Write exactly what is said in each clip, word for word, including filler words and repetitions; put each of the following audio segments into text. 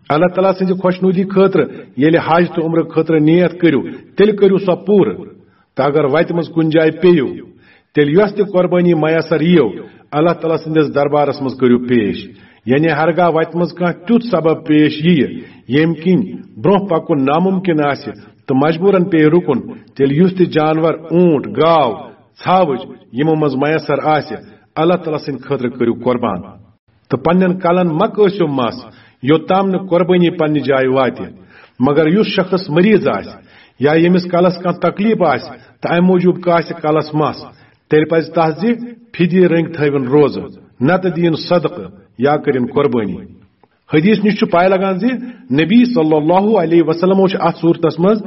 اللہ تعالیٰ سٕنٛزِ خۄشنودی خٲطرٕ ییٚلہِ حج تہٕ عمرٕ خٲطرٕ نیت کٔرِو، تیٚلہِ کٔرِو سۄ پوٗرٕ۔ تہٕ اگر وتہِ منٛز کُنہِ جایہِ پیٚیِو، تیٚلہِ یۄس تہِ قۄربٲنی میسر یِیو، اللہ تعالیٰ سٕنٛدِس دربارس منٛز کٔرِو پیش۔ یعنی ہرگاہ وتہِ منٛز کانٛہہ تیُتھ سبب پیش یِیہِ، ییٚمہِ کِنۍ برٛونٛہہ پکُن ناممکن آسہِ تہٕ مجبوٗرن پیٚیہِ رُکُن، تیٚلہِ یُس تہِ جانور، اوٗنٹ، گاو، ژھاوٕج یِمو منٛز میسر آسہِ، اللہ تعالیٰ سٕنٛدِ خٲطرٕ کٔرِو قۄربان۔ تہٕ پننٮ۪ن کلن مہ کٲسِو مس، یوٚتام نہٕ قۄربٲنی پننہِ جایہِ واتہِ۔ مگر یُس شخص مریض آسہِ یا ییٚمِس کلس کانٛہہ تکلیف آسہِ تہٕ امہِ موٗجوٗب کاسہِ کلس مس، تیٚلہِ پزِ تس زِ فدیہ رٔنگۍ تھٲوِن روزٕ، نتہٕ دِیِن صدقہٕ یا کٔرِن قۄربٲنی۔ حدیث نِش چھُ پاے لگان زِ نبی صلی اللہ علیہ وسلمو چھُ اتھ صورتس منٛز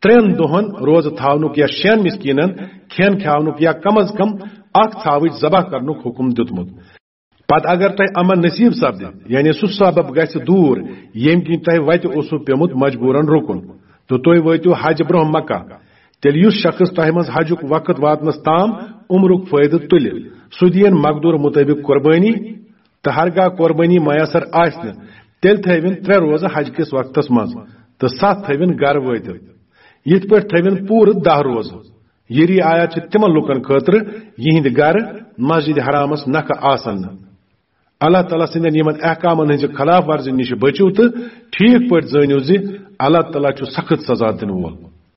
ترٛٮ۪ن دۄہن روزٕ تھاونُک یا شٮ۪ن مسکیٖنن کھٮ۪ن کھیاونُک یا کم از کم اکھ ژھاوٕج ذبح کرنُک حکم دیُتمُت۔ پتہٕ اگر تۄہہِ امن نصیب سپدِ، یعنی سُہ سبب گژھِ دوٗر، ییٚمہِ کِنۍ تۄہہِ وتہِ اوسوٕ پیومُت مجبوٗرن رُکُن، تہٕ تُہۍ وٲتِو حج برٛونٛہہ مکہ، تیٚلہِ یُس شخص تۄہہِ منٛز حجُک وقت واتنس تام عمرُک فٲیدٕ تُلہِ، سُہ دِیِن مقدور مطٲبق قۄربٲنی۔ تہٕ ہرگاہ قۄربٲنی میسر آسہِ نہٕ، تیٚلہِ تھٲوِن ترٛےٚ روزٕ حج کِس وقتس منٛز تہٕ ستھ تھٲوِن گرٕ وٲتِتھ۔ یِتھ پٲٹھۍ تھٲوِن پوٗرٕ دَہ روزٕ۔ یہِ رعایت چھِ تِمن لوٗکن خٲطرٕ، یِہنٛدِ گرٕ مسجد حرامس نکھٕ آسن نہٕ۔ اللہ تعالیٰ سٕنٛدٮ۪ن یِمن احکامن ہٕنٛزِ خلاف ورزی نِش بٔچِو تہٕ ٹھیٖک پٲٹھۍ زٲنِو زِ اللہ تعالیٰ چھُ سخت سزا دِنہٕ وول۔